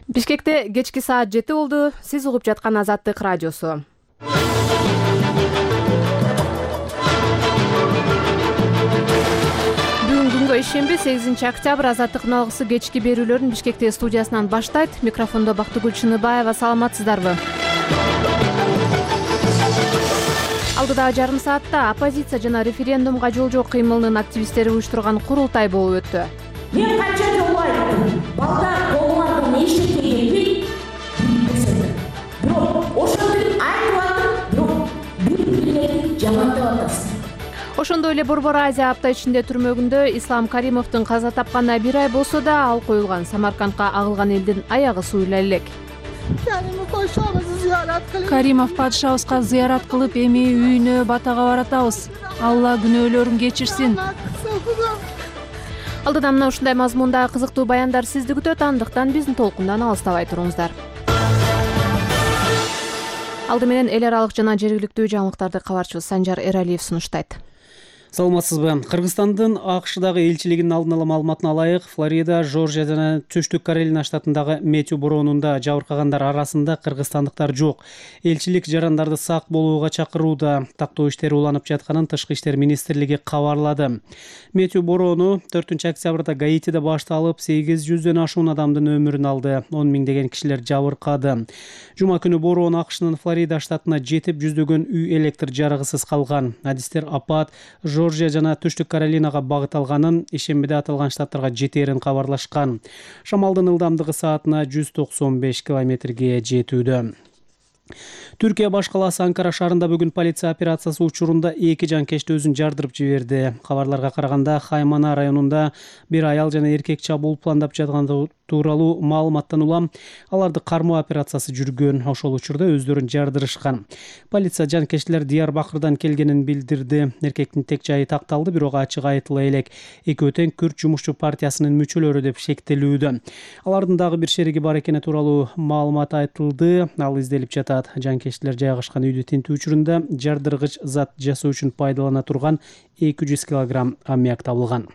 Бишкекте кечки саат 7 болду. Сиз угуп жаткан Азаттык радиосу. Бүгүн күнгө ишемби 8 октябрь Азаттыктын алгысы кечки берүүлөрүн Бишкекте студиясынан баштайт. Микрофондо Бактыгүл Чыныбаева. Саламатсыздарбы? Алдыдагы жарым саатта оппозиция жана референдумга жол жок кыймылынын активисттери уюштурган курултай болуп өттү. Мен канча жолу айттым, балдар колуңарды не иштетпегенди билбесеңер. Бирок ошондой айтып атып, бирок бири-бириңерди жамандап атасың. Ошондой эле Борбор Азия апта ичинде түрмөгүндө Ислам Каримовдун каза тапканына 1 ай болсо да ал коюлган Самаркандка агылган элдин аягы суюла элек. Каримов падышабызга зыярат кылып, эми үйүнө батага баратабыз. Алла күнөөлөрүн кечирсин. Алдыдан мына ушундай мазмундагы кызыктуу баяндар сизди күтөт, андыктан биздин толкундан алыстабай туруңуздар. Алды менен эл аралык жана жергиликтүү жаңылыктарды кабарчыбыз Санжар Эралиев сунуштайт. Саламатсызбы? Кыргызстандын АКШдагы элчилигинин алдын ала маалыматына ылайык, Флорида, Жоржия жана Түштүк Каролина штатындагы Мэтью бороонунда жабыркагандар арасында кыргызстандыктар жок. Элчилик жарандарды сак болууга чакырууда. Тактоо иштери уланып жатканын Тышкы иштер министрлиги кабарлады. Мэтью бороону 4 октябрда Гаитиде башталып, 800дөн ашуун адамдын өмүрүн алды. 10 миңдеген кишилер жабыркады. Жума күнү бороон АКШнын Флорида штатына жетип, жүздөгөн үй электр жарыгысыз калган. Адистер апат Жоржия жана Түштүк Каролинага багыт алганын, ишембиде аталган штаттарга жетерин кабарлашкан. Шамалдын ылдамдыгы саатына 195 километрге жетүүдө. Түркия баш калаасы Анкара шаарында бүгүн полиция операциясы учурунда 2 жанкечти өзүн жардырып жиберди. Кабарларга караганда Хаймана районунда бир аял жана эркек чабуул пландап жатканы тууралуу маалыматтан улам аларды кармоо операциясы жүргөн. Ошол учурда өздөрүн жардырышкан. Полиция жанкечтилер Диярбакырдан келгенин билдирди. Эркектин тек жайы такталды, бирок ачык айтыла элек. Экөө тең Күрд жумушчу партиясынын мүчөлөрү деп шектелүүдө. Алардын дагы бир шериги бар экени тууралуу маалымат айтылды. Ал изделип жатат. Жанкечтилер жайгашкан үйдү тинтүү учурунда жардыргыч зат жасоо үчүн пайдалана турган 200 килограмм аммиак табылган.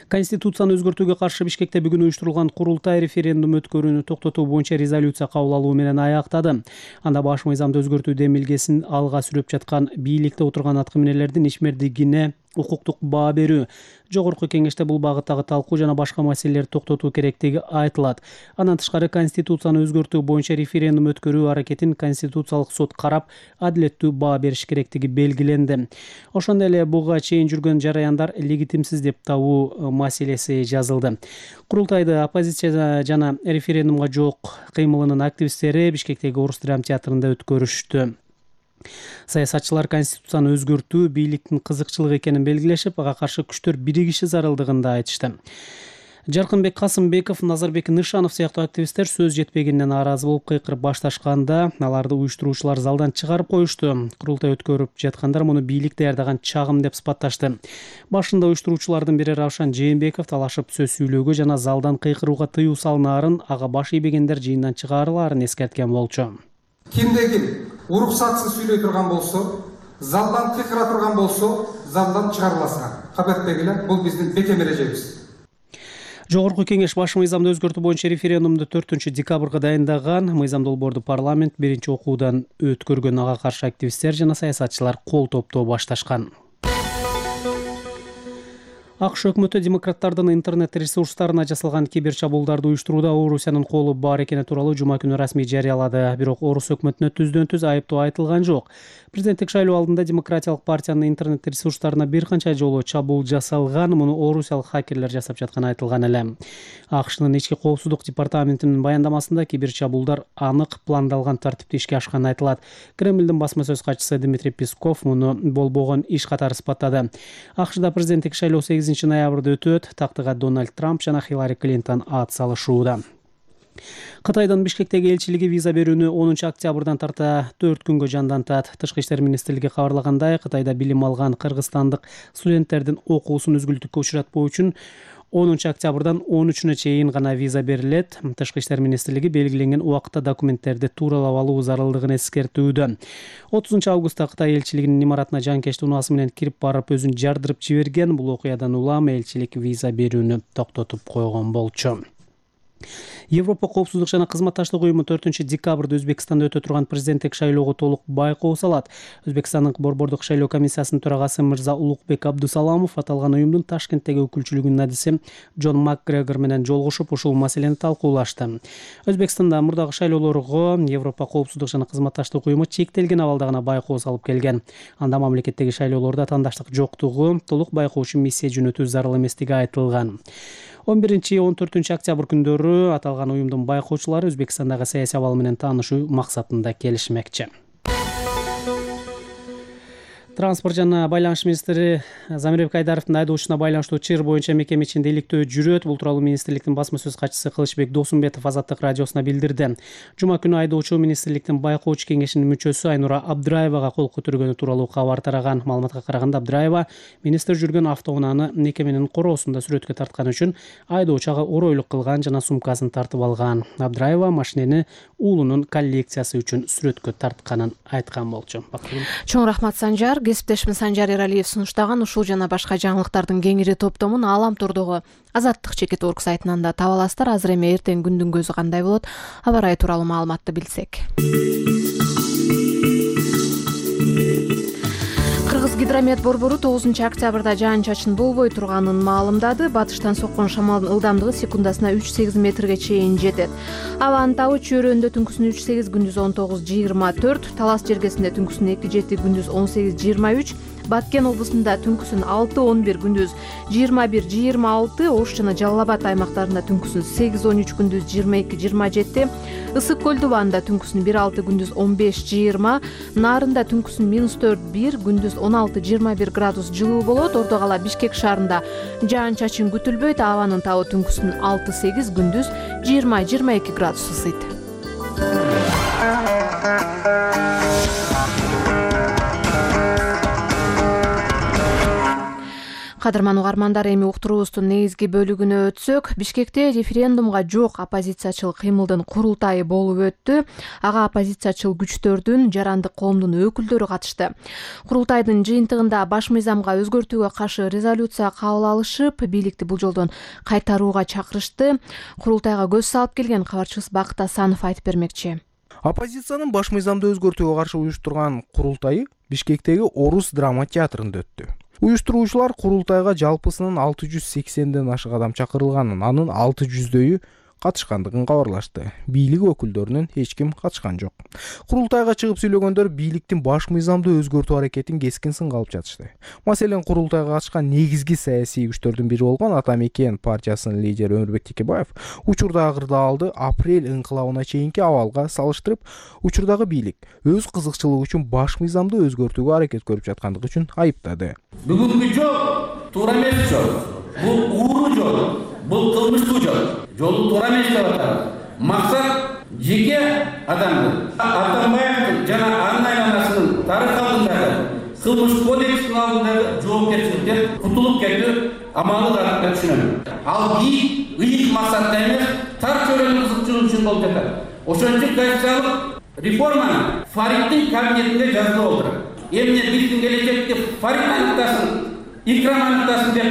Конституцияны өзгөртүүгө каршы Бишкекте бүгүн уюштурулган курултай референдум өткөрүүнү токтотуу боюнча резолюция кабыл алуу менен аяктады. Анда баш мыйзамды өзгөртүү демилгесин алга сүрөп жаткан бийликте отурган аткаминерлердин ишмердигине укуктук баа берүү, жогорку кеңеште бул багыттагы талкуу жана башка маселелерди токтотуу керектиги айтылат. Андан тышкары Конституцияны өзгөртүү боюнча референдум өткөрүү аракетин Конституциялык сот карап, адилеттүү баа бериш керектиги белгиленди. Ошондой эле буга чейин жүргөн жараяндар легитимсиз деп табуу маселеси жазылды. Курултайды оппозиция жана референдумга жок кыймылынын активисттери Бишкектеги Орус драм театрында өткөрүштү. Саясатчылар Конституцияны өзгөртүү бийликтин кызыкчылыгы экенин белгилешип, ага каршы күчтөр биригиши зарылдыгын да айтышты. Жаркынбек Касымбеков, Назарбек Нышанов сыяктуу активисттер сөз жетпегенине нааразы болуп кыйкырып башташканда, аларды уюштуруучулар залдан чыгарып коюшту. Курултай өткөрүп жаткандар муну бийлик даярдаган чагым деп сыпатташты. Башында уюштуруучулардын бири Равшан Жээнбеков талашып сөз сүйлөөгө жана залдан кыйкырууга тыюу салынаарын, ага баш ийбегендер жыйындан чыгарылаарын эскерткен болчу. Кимдегил уруксатсыз сүйлөй турган болсо, залдан кыйкыра турган болсо, залдан чыгарыласыңар. Кабаттегилер, бул биздин бекем эрежебиз. Жогорку кеңеш баш мыйзамды өзгөртүү боюнча референдумду 4 декабрга дайындаган. Мыйзам долбоорду парламент биринчи окуудан өткөргөн. Ага каршы активисттер жана саясатчылар кол топтоо башташкан. АКШ өкмөтү демократтардын интернет ресурстарына жасалган кибер чабуулдарды уюштурууда Орусиянын колу бар экени тууралуу жума күнү расмий жарыялады. Бирок Орус өкмөтүнө түздөн-түз айыптоо айтылган жок. Президенттик шайлоо алдында Демократиялык партиянын интернет ресурстарына бир канча жолу чабуул жасалган. Муну орусиялык хакерлер жасап жатканы айтылган эле. АКШнын ички коопсуздук департаментинин баяндамасында кибер чабуулдар анык пландалган тартипте ишке ашканы айтылат. Кремлдин басма сөз катчысы Дмитрий Песков муну болбогон иш катары сыпаттады. АКШда президенттик шайлоо 8 ноябрда өтөт. Тактыга Дональд Трамп жана Хиллари Клинтон ат салышууда. Кытайдын Бишкектеги элчилиги виза берүүнү 10 октябрдан тарта 4 күнгө жандантат. Тышкы иштер министрлиги кабарлагандай, Кытайда билим алган кыргызстандык студенттердин окуусун үзгүлтүккө учуратпоо үчүн 10 октябрдан 13-үнө чейин гана виза берилет. Тышкы иштер министрлиги белгиленген убакытта документтерди тууралап алуу зарылдыгын эскертүүдө. 30 августта Кытай элчилигинин имаратына жанкечти унаасы менен кирип барып өзүн жардырып жиберген. Бул окуядан улам элчилик виза берүүнү токтотуп койгон болчу. Европа коопсуздук жана кызматташтык уюму 4-декабрда Өзбекстанда өтө турган президенттик шайлоого толук байкоо салат. Өзбекстандын борбордук шайлоо комиссиясынын төрагасы Мырза Улукбек Абдусаламов аталган уюмдун Ташкенттеги өкүлчүлүгүнүн адиси Джон Макгрегор менен жолугушуп ушул маселени талкуулашты. Өзбекстанда мурдагы шайлоолорго Европа коопсуздук жана кызматташтык уюму чектелген абалда гана байкоо салып келген. Анда мамлекеттеги шайлоолордо атаандаштык жоктугу, толук байкоочу миссия жөнөтүү зарыл эместиги айтылган. 11-14 октябрь күндөрү аталган уюмдун байкоочулары Өзбекстандагы саясий абал менен таанышуу максатында келишмекчи. Транспорт жана байланыш министри Замирбек Айдаровдун айдоочуна байланыштуу чыр боюнча мекеме ичинде иликтөө жүрөт. Бул тууралуу министрликтин басма сөз катчысы Кылычбек Досумбетов Азаттык радиосуна билдирди. Жума күнү айдоочу министрликтин байкоочу кеңешинин мүчөсү Айнура Абдыраевага кол көтөргөнү тууралуу кабар тараган. Маалыматка караганда Абдыраева министр жүргөн автоунааны мекеменин короосунда сүрөткө тарткан үчүн айдоочуга оройлук кылган жана сумкасын тартып алган. Абдыраева машинени уулунун коллекциясы үчүн сүрөткө тартканын айткан болчу. Чоң рахмат Санжар. Кесиптешим Санжар Эралиев сунуштаган ушул жана башка жаңылыктардын кеңири топтомун Алам турдогу Азаттык /org сайтынан да таба аласыздар. Азыр эми эртең күндүн көзү кандай болот? Аба ырайы тууралуу маалыматты билсек. Гидромет борбору 9-октябрда жаан-чачын болбой турганын маалымдады. Батыштан соккон шамалдын ылдамдыгы секундасына 3-8 метрге чейин жетет. Абанын табы чөйрөндө түнкүсүн 3-8, күндүз 19-24, Талас жергесинде түнкүсүн 2-7, күндүз 18-23, Баткен облусунда түнкүсүн 6-11, күндүз 21-26, Ош жана Жалал Абад аймактарында түнкүсүн 8-13, күндүз 22-27, Ысык көл дубанында түнкүсүн 1-6, күндүз 15-20, Нарында түнкүсүн -4-1, күндүз 16-21 градус жылуу болот. Ордо кала Бишкек шаарында жаан-чачын күтүлбөйт. Абанын табы түнкүсүн 6-8, күндүз 20-22 градус ысыйт. Кадырман угармандар, эми уктуруубуздун негизги бөлүгүнө өтсөк, Бишкекте референдумга жок оппозициячыл кыймылдын курултайы болуп өттү. Ага оппозициячыл күчтөрдүн, жарандык коомдун өкүлдөрү катышты. Курултайдын жыйынтыгында баш мыйзамга өзгөртүүгө каршы резолюция кабыл алышып, бийликти бул жолдон кайтарууга чакырышты. Курултайга көз салып келген кабарчыбыз Бакыт Асанов айтып бермекчи. Оппозициянын баш мыйзамды өзгөртүүгө каршы уюштурган курултайы Бишкектеги Орус драма театрында өттү. Уюштуруучулар курултайга жалпысынан 680ден ашык адам чакырылганын, анын 600дөйү катышкандыгын кабарлашты. Бийлик өкүлдөрүнөн эч ким катышкан жок. Курултайга чыгып сүйлөгөндөр бийликтин баш мыйзамды өзгөртүү аракетин кескин сынга алып жатышты. Маселен, курултайга катышкан негизги саясий күчтөрдүн бири болгон Ата Мекен партиясынын лидери Өмүрбек Текебаев учурдагы кырдаалды апрель инкылабына чейинки абалга салыштырып, учурдагы бийлик өз кызыкчылыгы үчүн баш мыйзамды өзгөртүүгө аракет көрүп жаткандыгы үчүн айыптады. Бүгүнкү жол туура эмес жол. Бул ууруу жол. Бул кылмыштуу жол. Жолу туура эмес деп атабыз. Максат жеке адамды Атамбаевдин жана анын айланасынын тарых алдындагы кылмыш кодексинин алдындагы жоопкерчиликтен кутулуп кетүү амалы деп түшүнөм. Ал ыйык максатта эмес, тар чөйрөнүн кызыкчылыгы үчүн болуп жатат. Ошон үчүн конституциялык реформаны Фаридтин кабинетинде жазылып отурат. Эмне биздин келечекте Фарид аныктасын, Икрам аныктасын деп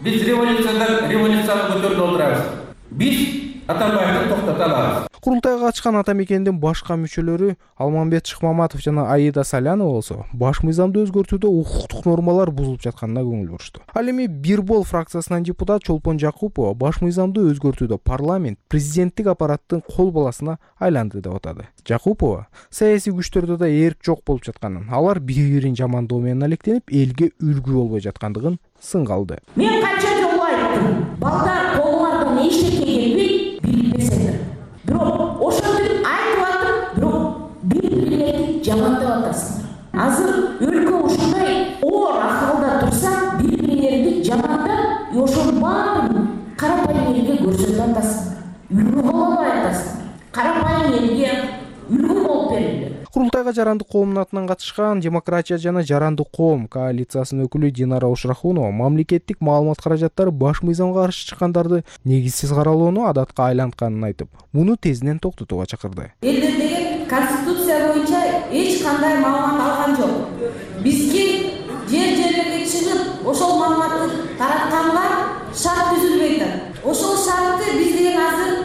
биз революцияны көтөрүп отурабыз. Биз Атамбаевди токтото алабыз. Курултайга катышкан Ата Мекендин башка мүчөлөрү Алмамбет Шыкмаматов жана Аида Салянова болсо, баш мыйзамды өзгөртүүдө укуктук нормалар бузулуп жатканына көңүл бурушту. Ал эми Бир бол фракциясынан депутат Чолпон Жакупова баш мыйзамды өзгөртүүдө парламент президенттик аппараттын кол баласына айланды деп атады. Жакупова саясий күчтөрдө да эрк жок болуп жатканын, алар бири-бирин жамандоо менен алектенип, элге үлгү болбой жаткандыгын сынга алды. Мен канча жолу айттым, балдар колуңардан эчтеке келбей билбесеңер. Бирок ошентип айтып атып, бирок бири-бириңерди жамандап атасыңар. Азыр өлкө ушундай оор акылда турса, бири-бириңерди жамандап, ошонун баарын карапайым элге көрсөтүп атасыңар. Үлгү болбой атасыңар. Карапайым элге үлгү болуп берилди. Курултайга жарандык коомдун атынан катышкан Демократия жана жарандык коом коалициясынын өкүлү Динара Ушрахунова мамлекеттик маалымат каражаттары баш мыйзамга каршы чыккандарды негизсиз каралоону адатка айлантканын айтып, муну тезинен токтотууга чакырды. Элдер деген конституция боюнча эч кандай маалымат алган жок. Бизге жерлерге чыгып, ошол маалыматты таратканга шарт түзүлбөй атат. Ошол шартты биз деген азыр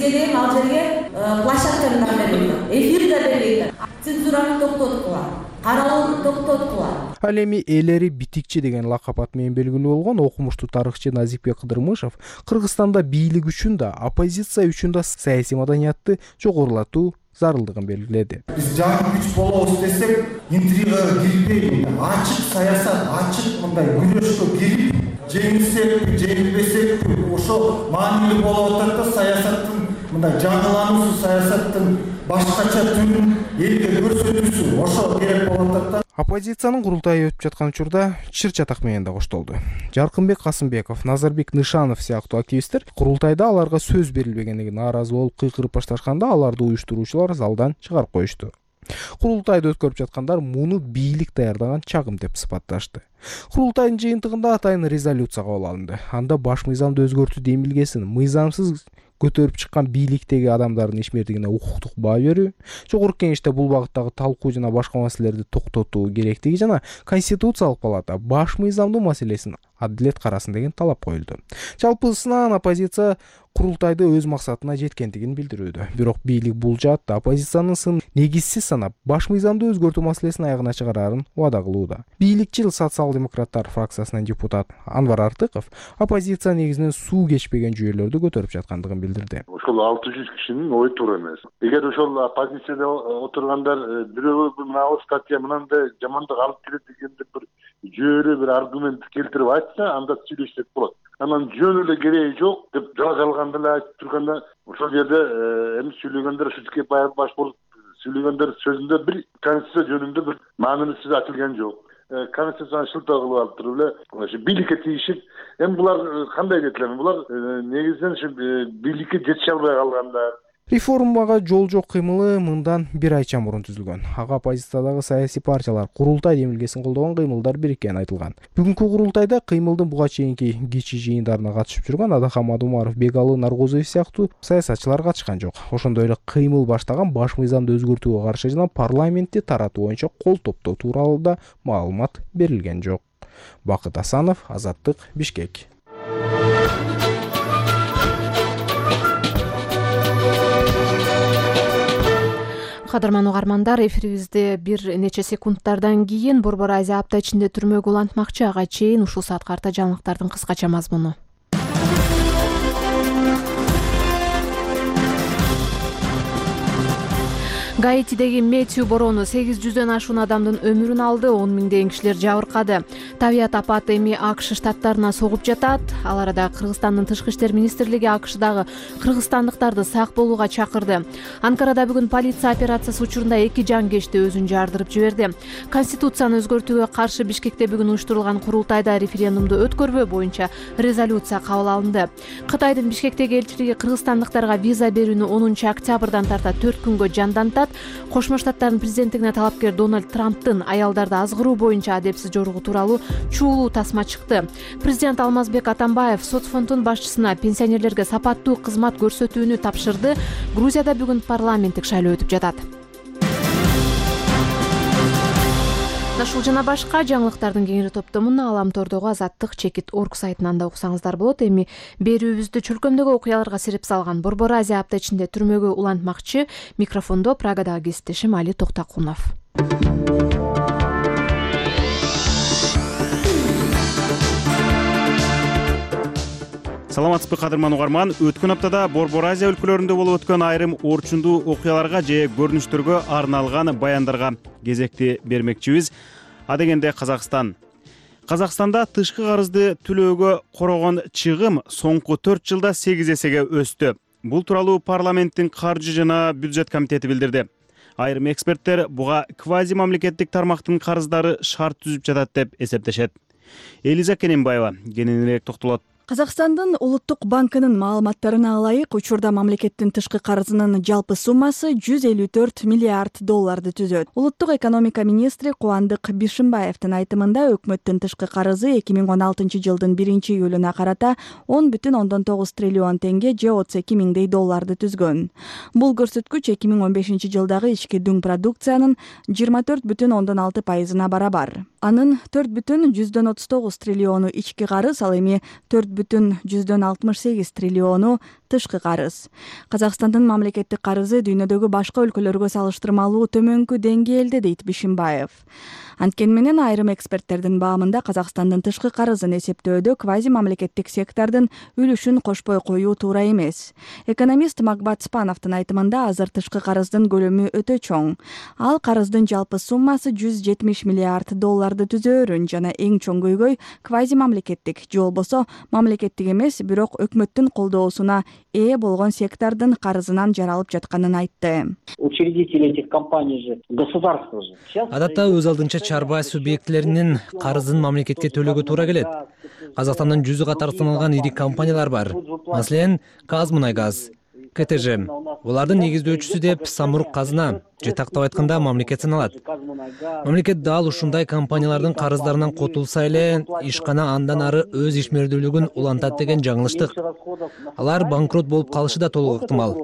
бизге деген ал жерге площадканы да бербейт, эфир да бербейт, цензураны токтоткула, каралууну токтоткула. Ал эми элери битикчи деген лакап ат менен белгилүү болгон окумуштуу тарыхчы Назикбек Кыдырмышев Кыргызстанда бийлик үчүн да, оппозиция үчүн да саясий маданиятты жогорулатуу зарылдыгын белгиледи. Биз жаңы күч болобуз десек, интригага кирбей, ачык саясат, ачык мындай күрөшкө кирип, жеңилсекпи, жеңилбесекпи, ошо маанилүү болуп атат да саясаттын мындай жаңылануусу, саясаттын башкача түрүн элге көрсөтүүсү ошо керек болуп атат да. Оппозициянын курултайы өтүп жаткан учурда чыр чатак менен да коштолду. Жаркынбек Касымбеков, Назарбек Нышанов сыяктуу активисттер курултайда аларга сөз берилбегендиги нааразы болуп кыйкырып башташканда аларды уюштуруучулар залдан чыгарып коюшту. Курултайды өткөрүп жаткандар муну бийлик даярдаган чагым деп сыпатташты. Курултайдын жыйынтыгында атайын резолюция кабыл алынды. Анда баш мыйзамды өзгөртүү демилгесин мыйзамсыз көтөрүп чыккан бийликтеги адамдардын ишмердигине укуктук баа берүү, жогорку кеңеште бул багыттагы талкуу жана башка маселелерди токтотуу керектиги жана Конституциялык палата баш мыйзамдуу маселесин адилет карасын деген талап коюлду. Жалпысынан оппозиция курултайды өз максатына жеткендигин билдирүүдө. Бирок бийлик бул жаатта оппозициянын сын негизсиз санап, баш мыйзамды өзгөртүү маселесин аягына чыгарарын убада кылууда. Бийликчил социал-демократтар фракциясынын депутат Анвар Артыков оппозиция негизинен суу кечпеген жүйөлөрдү көтөрүп жаткандыгын билдирди. Ошол 600 кишинин ою туура эмес. Эгер ошол оппозицияда отургандар бирөө мына статья мынандай жамандык алып келет дегенде бир жүйөлүү бир аргумент келтирип айтса, анда сүйлөшсек болот. Анан жөн эле кереги жок деп жалганда эле айтып турганда, ошол жерде эми сүйлөгөндөр ушутке баш болуп сүйлөгөндөр сөзүндө бир конституция жөнүндө бир маанилүү сөз айтылган жок. Конституцияны шылтоо кылып алып туруп эле ошо бийликке тийишип, эми булар кандай дейт элем? Булар негизинен ушу бийликке жетише албай калгандар. Реформага жол жок кыймылы мындан бир айча мурун түзүлгөн. Ага оппозициядагы саясий партиялар курултай демилгесин колдогон кыймылдар бириккени айтылган. Бүгүнкү курултайда кыймылдын буга чейинки кичи жыйындарына катышып жүргөн Адахамад Умаров, Бегалы Наргозоев сыяктуу саясатчылар катышкан жок. Ошондой эле кыймыл баштаган баш мыйзамды өзгөртүүгө каршы жана парламентти таратуу боюнча кол топтоо тууралуу да маалымат берилген жок. Бакыт Асанов, Азаттык, Бишкек. Кадырман угармандар, эфирибизде бир нече секундтардан кийин Борбор Азия апта ичинде түрмөгө улантмакчы. Ага чейин ушул саатка карта жаңылыктардын кыскача мазмуну. Гаитидеги Метью бороону 800дөн ашуун адамдын өмүрүн алды, 10 миңдеген кишилер жабыркады. Табият апаты эми АКШ штаттарына согуп жатат. Ал арада Кыргызстандын тышкы иштер министрлиги АКШдагы кыргызстандыктарды сак болууга чакырды. Анкарада бүгүн полиция операциясы учурунда 2 жангечти өзүн жардырып жиберди. Конституцияны өзгөртүүгө каршы Бишкекте бүгүн уюштурулган курултайда референдумду өткөрбөө боюнча резолюция кабыл алынды. Кытайдын Бишкектеги элчилиги кыргызстандыктарга виза берүүнү 10 октябрдан тарта 4 күнгө жандантат. Кошмо Штаттардын президенттигине талапкер Дональд Трамптын аялдарды азгыруу боюнча адепсиз жоругу тууралуу чуулуу тасма чыкты. Президент Алмазбек Атамбаев соцфонддун башчысына пенсионерлерге сапаттуу кызмат көрсөтүүнү тапшырды. Грузияда бүгүн парламенттик шайлоо өтүп жатат. Ушул жана башка жаңылыктардын кеңири топтомун Аламтордогу Азаттык.org сайтынан да окусаңыздар болот. Эми берүүбүздү чөлкөмдөгү окуяларга сирип салган Борбор Азия апта ичинде түрмөгө улантмакчы. Микрофондо Прагадагы кесиптешим Али Токтакунов. Саламатсызбы кадырман угарман. Өткөн аптада Борбор Азия өлкөлөрүндө болуп өткөн айрым орчундуу окуяларга же көрүнүштөргө арналган баяндарга кезекти бермекчибиз. А дегенде Казакстанда тышкы карызды төлөөгө корогон чыгым соңку 4 жылда 8 эсеге өстү. Бул тууралуу парламенттин каржы жана бюджет комитети билдирди. Айрым эксперттер буга квази мамлекеттик тармактын карыздары шарт түзүп жатат деп эсептешет. Элиза Кененбаева кененирээк токтолот. Казакстандын Улуттук банкынын маалыматтарына ылайык, учурда мамлекеттин тышкы карызынын жалпы суммасы 154 миллиард долларды түзөт. Улуттук экономика министри Кубандык Бишимбаевдин айтымында өкмөттүн тышкы карызы 2016 жылдын 1-июлуна карата 10,9 триллион тенге же 32 миңдей долларды түзгөн. Бул көрсөткүч 2015 жылдагы ички дүң продукциянын 24,6%-на барабар. Анын 4,139 триллиону ички карыз, ал эми 4,168 триллиону тышкы карыз. Казакстандын мамлекеттик карызы дүйнөдөгү башка өлкөлөргө салыштырмалуу төмөнкү деңгээлде дейт Бишимбаев. Анткени менен айрым эксперттердин баамында Казакстандын тышкы карызын эсептөөдө квази мамлекеттик сектордун үлүшүн кошпой коюу туура эмес. Экономист Макбат Спановдун айтымында азыр тышкы карыздын көлөмү өтө чоң. Ал карыздын жалпы суммасы $170 миллиард түзөөрүн жана эң чоң көйгөй квази мамлекеттик же болбосо мамлекеттик эмес, бирок өкмөттүн колдоосуна ээ болгон сектордун карызынан жаралып жатканын айтты. Учредители этих компаний же государство же. Адатта өз алдынча чарба субъектилеринин карызын мамлекетке төлөөгө туура келет. Казакстандын 100 катар саналган ири компаниялар бар. Маселен, Казмунайгаз, КТЖ. Булардын негиздөөчүсү деп Самрук Казына же тактап айтканда мамлекет саналат. Мамлекет дал ушундай компаниялардын карыздарынан котулса эле ишкана андан ары өз ишмердүүлүгүн улантат деген жаңылыштык. Алар банкрот болуп калышы да толук ыктымал.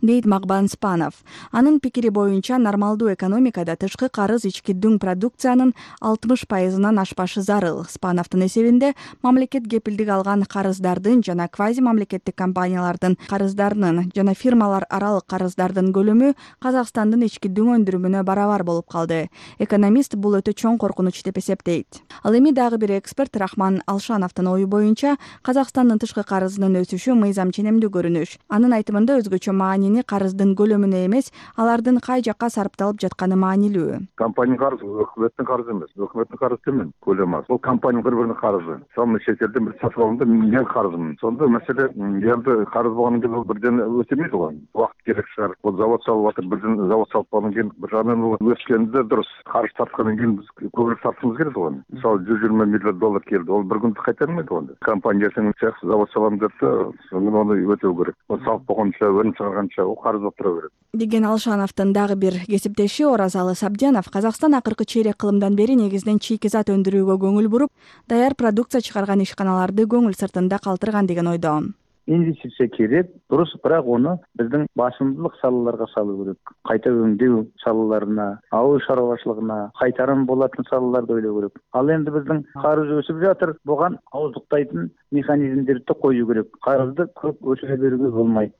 Дейт Макбан Спанов. Анын пикири боюнча нормалдуу экономикада тышкы карыз ички дүң продукциянын 60%-ынан ашпашы зарыл. Спановдун эсебинде мамлекет кепилдик алган карыздардын жана квази мамлекеттик компаниялардын карыздарынын жана фирмалар аралык карыздардын көлөмү Казакстандын ички дүң өндүрүмүнө барабар болуп калды. Экономист бул өтө чоң коркунуч деп эсептейт. Ал эми дагы бир эксперт Рахман Алшановдун ою боюнча Казакстандын тышкы карызынын өсүшү мыйзам ченемдүү көрүнүш. Анын айтымында өзгөчө маанини карыздын көлөмүнө эмес, алардын кай жакка сарпталып жатканы маанилүү. Компания карызы өкмөттүн карызы эмес. Өкмөттүн карызы төмөн, көлөмү аз. Бул компания бири-биринин карызы. Мен чет элден бир сатып алганда мен карызмын. Сонда маселе элде карыз болгондон кийин бирден өтөмөйт го. Убакыт керек чыгар. Бул завод салып атыр, бирден завод салып алгандан кийин бир жагынан өскөндө дурус карыз тарткандан кийин биз көбүрөөк тартышыбыз керек го. Мисалы $120 миллион келди. Ол бир күндө кайтармайт го. Компания сенин чаксы завод салам деп аны өтөө керек. Ол салып болгонча чыгарганча о карыз болуп тура берет деген Алшановдун дагы бир кесиптеши Оразалы Сабдянов Казакстан акыркы чейрек кылымдан бери негизинен чийки зат өндүрүүгө көңүл буруп, даяр продукция чыгарган ишканаларды көңүл сыртында калтырган деген ойдо. Инвестиция керек, дурус, бирок ону биздин басымдуулук салаларга салуу керек. Кайта өңдөө салаларына, ауыл шаруашылыгына, кайтарым болатын салаларды ойлоо керек. Ал энди биздин карыз өсүп жатыр, буга ауыздуктайтын механизмдерди коюу керек. Карызды көп өсүрө берүүгө болмойт.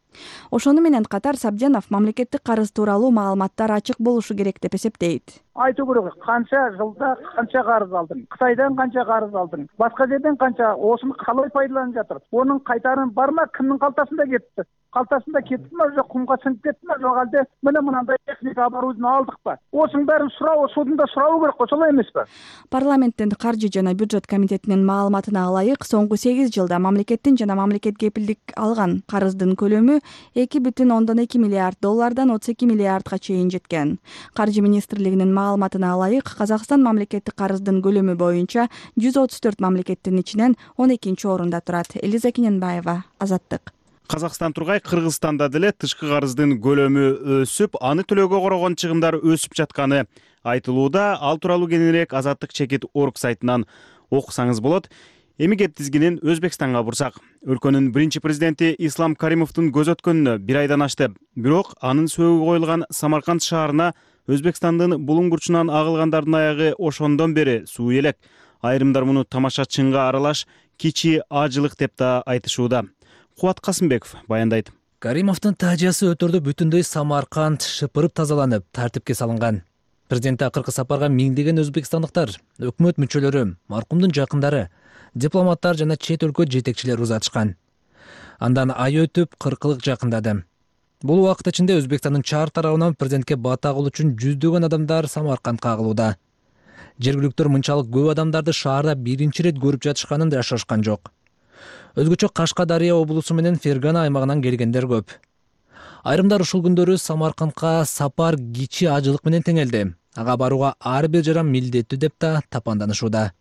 Ошону менен катар Сабдянов мамлекеттик карыз тууралуу маалыматтар ачык болушу керек деп эсептейт. Айтуу керек, канча жылда канча карыз алдың, Кытайдан канча карыз алдың, башка жерден канча, осуну калай пайдаланып жатыр. Онун кайтарымы бармы, кимдин калтасында кетти? Калтасында кеттиби, же кумга сиңип кеттиби, же алде менен мындай техника оборудование алдыкпы? Осунун баарын суроо, судунда суроо керек го, солай эмеспи? Парламенттин каржы жана бюджет комитетинин маалыматына ылайык, соңку 8 жылда мамлекеттин жана мамлекет кепилдик алган карыздын көлөмү $2,2 миллиард $32 миллиардга чейин жеткен. Каржы министрлигинин маалыматына ылайык, Казакстан мамлекеттик карыздын көлөмү боюнча 134 мамлекеттин ичинен 12-нчи орунда турат. Элиза Кененбаева, Азаттык. Казакстан тургай Кыргызстанда деле тышкы карыздын көлөмү өсүп, аны төлөөгө корогон чыгымдар өсүп жатканы айтылууда. Ал тууралуу кененирээк Азаттык чекит орг сайтынан окусаңыз болот. Эми кеп тизгинин Өзбекстанга бурсак. Өлкөнүн биринчи президенти Ислам Каримовдун көз өткөнүнө 1 айдан ашты. Бирок анын сөөгү коюлган Самарканд шаарына Өзбекстандын булуңгурчунан агылгандардын аягы ошондон бери суу элек. Айрымдар муну тамашачынга аралаш кичи ажылык деп да айтышууда. Кубат Касымбеков баяндайт. Каримовдун таажиясы өтөрдө бүтүндөй Самарканд шыпырып тазаланып, тартипке салынган. Президентти акыркы сапарга миңдеген өзбекстандыктар, өкмөт мүчөлөрү, маркумдун жакындары, дипломаттар жана чет өлкө жетекчилери узатышкан. Андан ай өтүп 40 жакындады. Бул убакыт ичинде Өзбекстандын чаар тарабынан президентке бата кылуу үчүн жүздөгөн адамдар Самаркандга агылууда. Жергиликтер мынчалык көп адамдарды шаарда биринчи ирет көрүп жатышканын да шашкан жок. Өзгөчө Кашкадария облусу менен Фергана аймагынан келгендер көп. Айрымдар ушул күндөрү Самаркандга сапар кичи ажылык менен теңелди. Ага барууга ар бир жаран милдеттүү деп да тапанданышууда.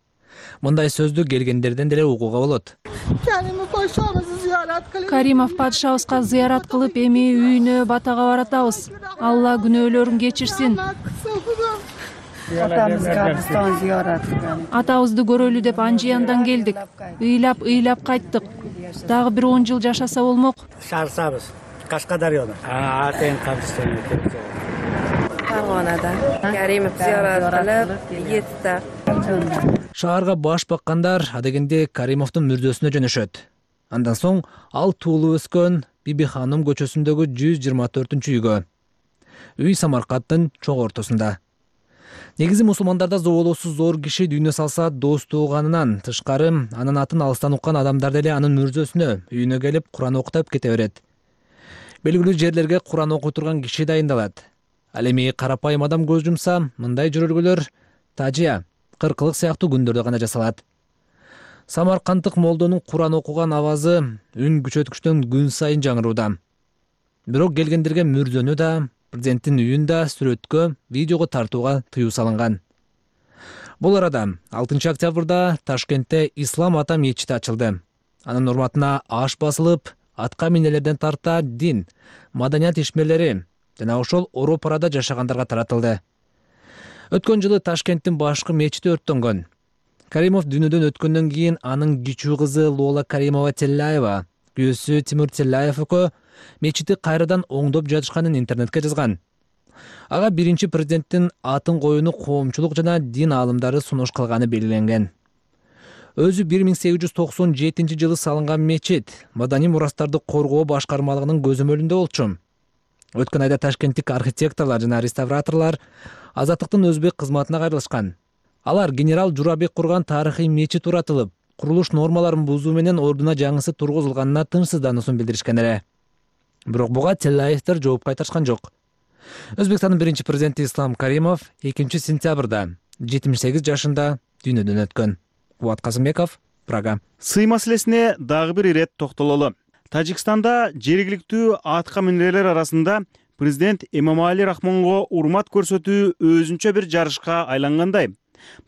Мындай сөздү келгендерден деле угууга болот. Каримов падышабызга зыярат кылып, эми үйүнө батага баратабыз. Алла күнөөлөрүн кечирсин. Атабызды көрөлү деп Анжияндан келдик. Ыйлап кайттык. Дагы бир 10 жыл жашаса болмок. Шаарсабыз. Кашкадарияда. Атен кабырстан экен. Фаргонадан. Каримов зыярат кылып, кетти. Шаарга баш баккандар адегенде Каримовдун мүрдөсүнө жөнөшөт. Андан соң ал туулуп өскөн Биби ханым көчөсүндөгү 124-үйгө. Үй Самаркандтын чоң ортосунда. Негизи мусулмандарда зоболоосу зор киши дүйнө салса дос тууганынан тышкары анын атын алыстан уккан адамдар деле анын мүрзөсүнө үйүнө келип Куран окутуп кете берет. Белгилүү жерлерге Куран окуй турган киши дайындалат. Ал эми карапайым адам көз жумса, мындай жөрөлгөлөр тажия, кыркылык сыяктуу күндөрдө гана жасалат. Самаркандтык молдонун Куран окуган авазы үн күчөткүчтөн күн сайын жаңырууда. Бирок келгендерге мүрзөнү да, президенттин үйүн да сүрөткө, видеого тартууга тыюу салынган. Бул арада 6 октябрда Ташкентте Ислам ата мечити ачылды. Анын урматына аш басылып, атка минелерден тарта дин, маданият ишмерлери жана ошол оро парада жашагандарга таратылды. Өткөн жылы Ташкенттин башкы мечити өрттөнгөн. Каримов дүйнөдөн өткөндөн кийин анын кичүү кызы Лола Каримова Телляева, күйөөсү Тимур Телляев экөө мечити кайрадан оңдоп жатышканын интернетке жазган. Ага биринчи президенттин атын коюуну коомчулук жана дин аалымдары сунуш кылганы белгиленген. Өзү 1897 жылы салынган мечит маданий мурастарды коргоо башкармалыгынын көзөмөлүндө болчу. Өткөн айда ташкенттик архитекторлор жана реставраторлор Азаттыктын өзбек кызматына кайрылышкан. Алар генерал Журабек курган тарыхый мечит уратылып, курулуш нормаларын бузуу менен ордуна жаңысы тургузулганына тынчсыздануусун билдиришкен эле. Бирок буга Телляевдер жооп кайтарышкан жок. Өзбекстандын биринчи президенти Ислам Каримов 2 сентябрда 78 жашында дүйнөдөн өткөн. Кубат Казымбеков, Прага. Сый маселесине дагы бир ирет токтололу. Тажикстанда жергиликтүү атка минерлер арасында президент Эмомали Рахмонго урмат көрсөтүү өзүнчө бир жарышка айлангандай.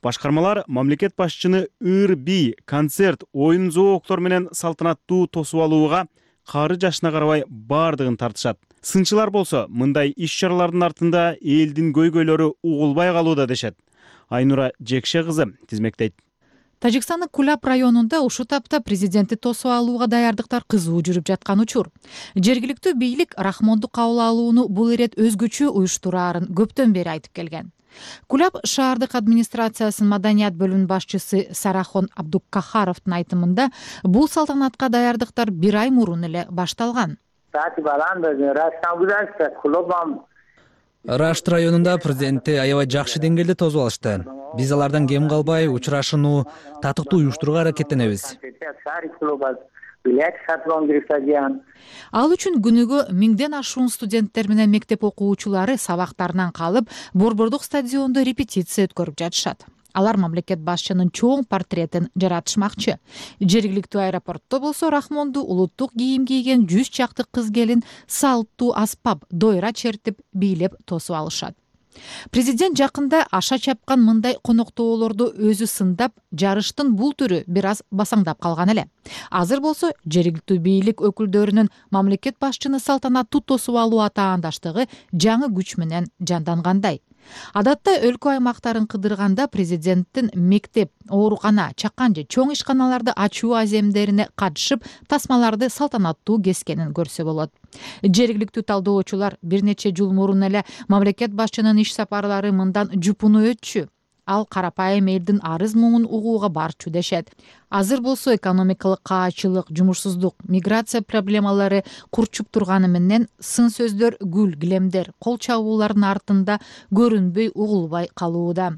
Башкармалар мамлекет башчыны ыр-би, концерт, оюн зооктору менен салтанаттуу тосуп алууга кары жашына карабай бардыгын тартышат. Сынчылар болсо мындай иш-чаралардын артында элдин көйгөйлөрү угулбай калууда дешет. Айнура Жекше кызы тизмектейт. Тажикстандын Кулап районунда ушул тапта президентти тосуп алууга даярдыктар кызуу жүрүп жаткан учур. Жергиликтүү бийлик Рахмонду кабыл алууну бул ирет өзгөчө уюштураарын көптөн бери айтып келген. Кулап шаардык администрациясынын маданият бөлүмүнүн башчысы Сарахон Абдуккахаровдун айтымында бул салтанатка даярдыктар 1 ай мурун эле башталган. Рашт районунда президентти аябай жакшы деңгээлде тосуп алышты. Биз алардан кем калбай учурашууну татыктуу уюштурууга аракеттенебиз. Ал үчүн күнүгө 1000ден ашуун студенттер менен мектеп окуучулары сабактарынан калып, Борбордук стадиондо репетиция өткөрүп жатышат. Алар мамлекет башчынын чоң портретин жаратышмакчы. Жергиликтүү аэропортто болсо Рахмонду улуттук кийим кийген 100 чакты кыз келин салттуу аспап, дойра чертип, бийлеп тосуп алышат. Президент жакында аша чапкан мындай коноктоолорду өзү сындап, жарыштын бул түрү бир аз басаңдап калган эле. Азыр болсо жергиликтүү бийлик өкүлдөрүнүн мамлекет башчыны салтанаттуу тосуп алуу атаандаштыгы жаңы күч менен жандангандай. Адатта өлкө аймактарын кыдырганда президенттин мектеп, оорукана, чакан же чоң ишканаларды ачуу аземдерине катышып, тасмаларды салтанаттуу кескенин көрсө болот. Жергиликтүү талдоочулар бир нече жыл мурун эле мамлекет башчынын иш сапарлары мындан жупуну өтчү. Ал карапайым элдин арыз муңун угууга барчу дешет. Азыр болсо экономикалык каачылык, жумушсуздук, миграция проблемалары курчуп турганы менен сын сөздөр, гүл килемдер, кол чабуулардын артында көрүнбөй, угулбай калууда.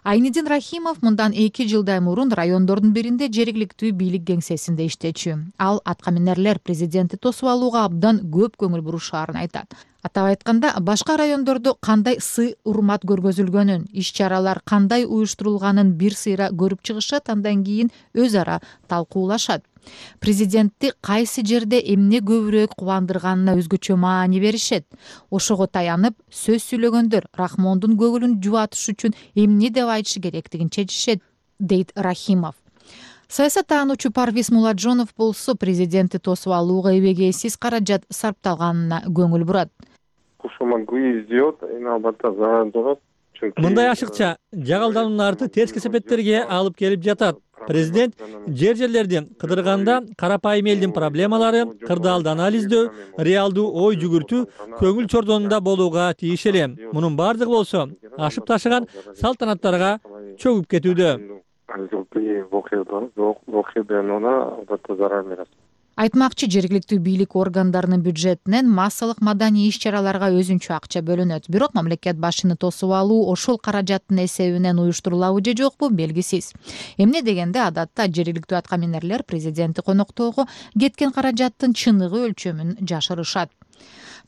Айнидин Рахимов мындан 2 жылдай мурун райондордун биринде жергиликтүү бийлик кеңсесинде иштечү. Ал атка минерлер президентти тосуп алууга абдан көп көңүл бурушаарын айтат. Атап айтканда, башка райондордо кандай сый урмат көргөзүлгөнүн, иш-чаралар кандай уюштурулганын бир сыйра көрүп чыгышат, андан кийин өз ара талкуулашат. Президентти кайсы жерде эмне көбүрөөк кубандырганына өзгөчө маани беришет. Ошого таянып, сөз сүйлөгөндөр Рахмондун көңүлүн жубатыш үчүн эмне деп айтышы керектигин чечишет, дейт Рахимов. Саясаттануучу Парвиз Муладжонов болсо президентти тосуп алууга эбегейсиз каражат сарпталганына көңүл бурат. Мындай ашыкча жагалдануунун арты терс кесепеттерге алып келип жатат. Президент жерлерди кыдырганда карапайым элдин проблемалары, кырдаалды анализдөө, реалдуу ой жүгүртүү көңүл чордонунда болууга тийиш эле. Мунун бардыгы болсо ашып ташыган салтанаттарга чөгүп кетүүдө. Айтмакчы, жергиликтүү бийлик органдарынын бюджетинен массалык маданий иш-чараларга өзүнчө акча бөлүнөт. Бирок мамлекет башчыны тосуп алуу ошол каражаттын эсебинен уюштурулабы же жокпу белгисиз. Эмне дегенде, адатта жергиликтүү аткаминерлер президентти коноктоого кеткен каражаттын чыныгы өлчөмүн жашырышат.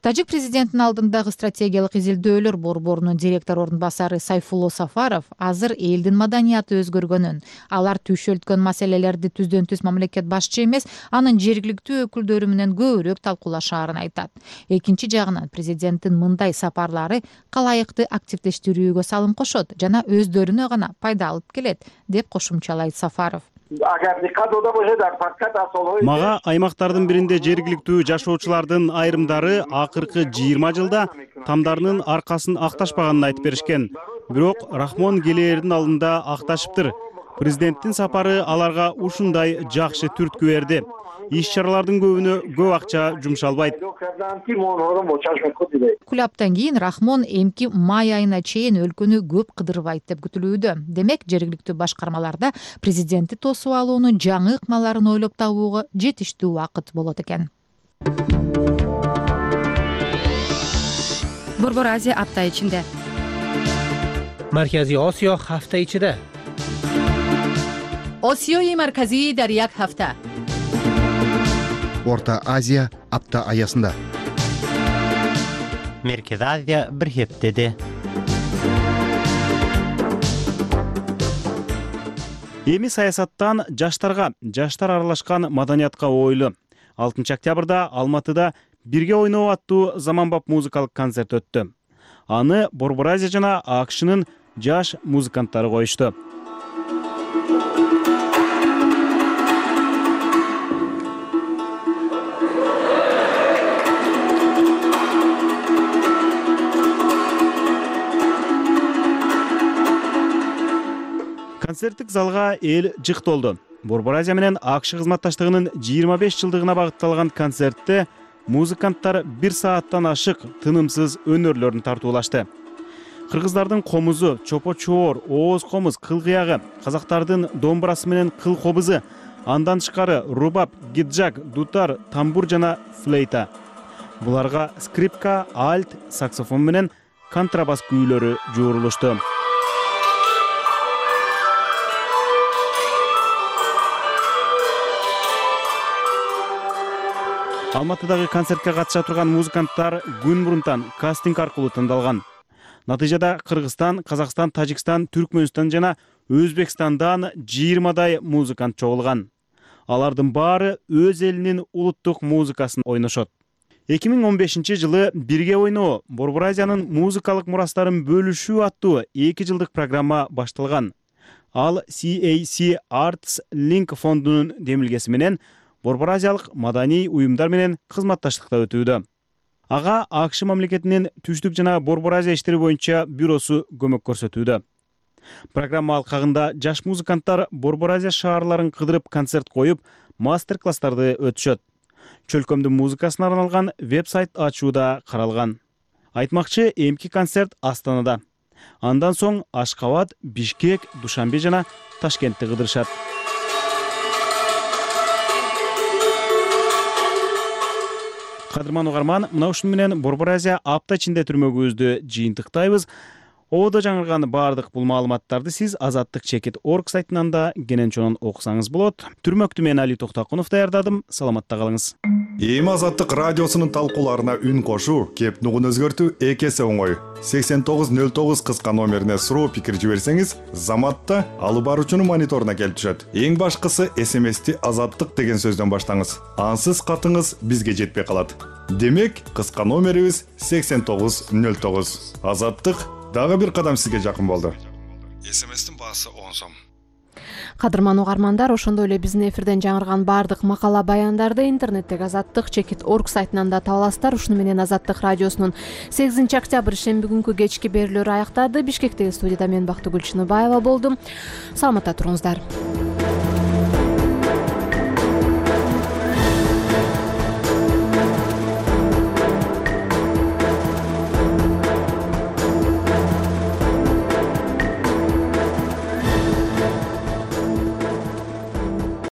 Тажик президентинин алдындагы стратегиялык изилдөөлөр борборунун директор орун басары Сайфулло Сафаров азыр элдин маданияты өзгөргөнүн, алар түйшөлткөн маселелерди түздөн түз мамлекет башчы эмес, анын жергиликтүү өкүлдөрү менен көбүрөөк талкуулашаарын айтат. Экинчи жагынан президенттин мындай сапарлары калайыкты активдештирүүгө салым кошот жана өздөрүнө гана пайда алып келет, деп кошумчалайт Сафаров. Мага аймактардын биринде жергиликтүү жашоочулардын айрымдары акыркы 20 жылда тамдарынын аркасын акташпаганын айтып беришкен. Бирок Рахмон келээрдин алдында акташыптыр. Президенттин сапары аларга ушундай жакшы түрткү берди. Иш-чаралардын көбүнө көп акча жумшалбайт. Кулаптан кийин Рахмон эмки май айына чейин өлкөнү көп кыдырбайт деп күтүлүүдө. Демек, жергиликтүү башкармаларда президентти тосуп алуунун жаңы ыкмаларын ойлоп табууга жетиштүү убакыт болот экен. Борбор Азия апта ичинде. Марказий Осиё ҳафта ичида. Осиёи марказӣ дар як ҳафта. Орта Азия апта аясында. Меркез Азия бир хептеде. Эми саясаттан жаштар аралашкан маданиятка ойлу. 6 октябрда Алматыда «Бирге ойноо» аттуу заманбап музыкалык концерт өттү. Аны Борбор Азия жана АКШнын жаш музыканттары коюшту. Концерттик залга эл жык толду. Борбор Азия менен АКШ кызматташтыгынын 25 жылдыгына багытталган концертте музыканттар 1 сааттан ашык тынымсыз өнөрлөрүн тартуулашты. Кыргыздардын комузу, чопо-чоор, ооз комуз, кыл-кыягы, казактардын домбурасы менен кыл кобузу, андан тышкары рубаб, гиджак, дутар, тамбур жана флейта. Буларга скрипка, альт, саксофон менен контрабас күүлөрү жуурулушту. Алматыдагы концертке катыша турган музыканттар күн мурунтан кастинг аркылуу тандалган. Натыйжада Кыргызстан, Казакстан, Тажикстан, Түркмөнстан жана Өзбекстандан 20дай музыкант чогулган. Алардын баары өз элинин улуттук музыкасын ойношот. 2015 жылы «Бирге ойноо» Борбор Азиянын музыкалык мурастарын бөлүшүү аттуу 2 жылдык программа башталган. Ал CAC Arts Link фондунун демилгеси менен Борбор Азиялык маданий уюмдар менен кызматташтыкта өтүүдө. Ага АКШ мамлекетинин түштүк жана Борбор Азия иштери боюнча бюросу көмөк көрсөтүүдө. Программа алкагында жаш музыканттар Борбор Азия шаарларын кыдырып концерт коюп, мастер-класстарды өтүшөт. Чөлкөмдүн музыкасына арналган веб-сайт ачууда каралган. Айтмакчы, эмки концерт Астанада. Андан соң Ашкабад, Бишкек, Душанбе жана Ташкентти кыдырышат. Кадырман угарман, мына ушун менен Борбор Азия апта ичинде түрмөгүбүздү жыйынтыктайбыз. Ободо жаңырган баардык бул маалыматтарды сиз azattik.org сайтынан да кенен чонун окусаңыз болот. Түрмөктү мен Али Токтакунов даярдадым. Саламатта калыңыз. Эми Азаттык радиосунун талкууларына үн кошуу, кеп нугун өзгөртүү эки эсе оңой. 8909 кыска номерине суроо пикир жиберсеңиз, заматта алып баруучунун мониторуна келип түшөт. Эң башкысы SMS-ти Азаттык деген сөздөн баштаңыз. Ансыз катыңыз бизге жетпей калат. Демек, кыска номерибиз 8909. Азаттык дагы бир кадам сизге жакын болду. SMS-тин баасы 10 сом. Кадырман угармандар, ошондой эле биздин эфирден жаңырган баардык макала баяндарды интернеттеги azattik.org сайтынан да таба аласыздар. Ушуну менен Азаттык радиосунун 8 октябрь шемби күнкү кечки берүүлөрү аяктады. Бишкектеги студияда мен Бактыгүл Чыныбаева болдум. Саламатта туруңуздар.